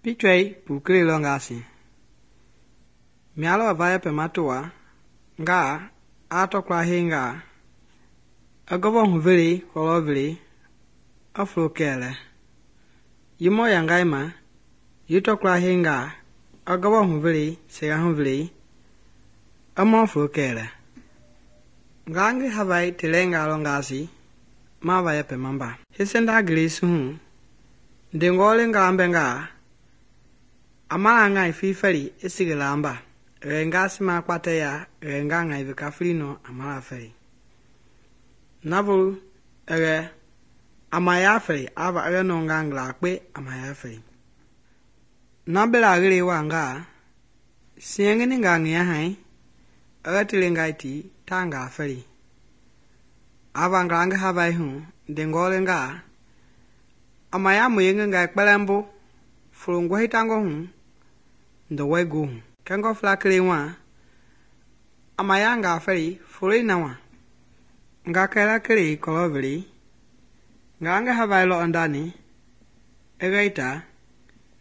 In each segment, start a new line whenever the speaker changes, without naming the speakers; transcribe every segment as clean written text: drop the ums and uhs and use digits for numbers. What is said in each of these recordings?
Pichwei pukele longasi. Mialo vaya pematoa nga atokla hinga agobo huveli koloveli aflokele. Yimo yangaima yitokla hinga agobo huveli sega huveli amo flokele. Ngangi havai telenga longasi ma vaya pemamba. Hisenda gilisu ndengole ngambenga amala ngai fifeli esigilamba renga sima kpateya renga ngai vikafrino amala feli navulu amaya feli ava no ngangla kpe amaya feli nabela gile wanga siengini ngangia hai tilengaiti tanga feli ava ngang havai hu ndengole nga amaya muyenge ngai kpelembo fulungu hitango hu ndowego hu kengo flaklewa amaya nga feli fulei nawa nga kela kele koloveli nga havai lo andani egaita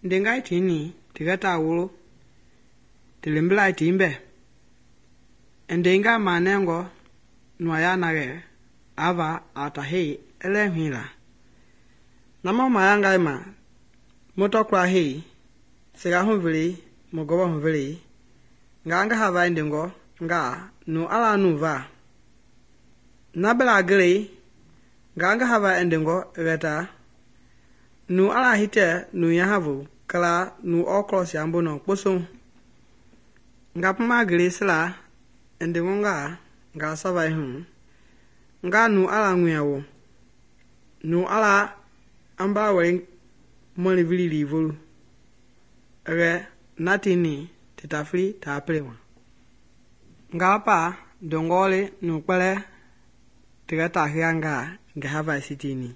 ndengai tini tigata wulo tilembelai timbe endenga manengo nwaya nage ava atahi elemhila nama mayanga ima motokla hei sega huveli mogoba huveli nga havai ndengo nga nu ala nuva nabela gele nga havai endengo egata nu ala hite nu yahavu kala nu okros yambono kposo nga puma gele sila endengo nga savai hu nga nu ala nguyawo nu ala amba wei moli vili livulu natini titafri taplewa nga pa dongole nu kpele tigata hianga nga havai sitini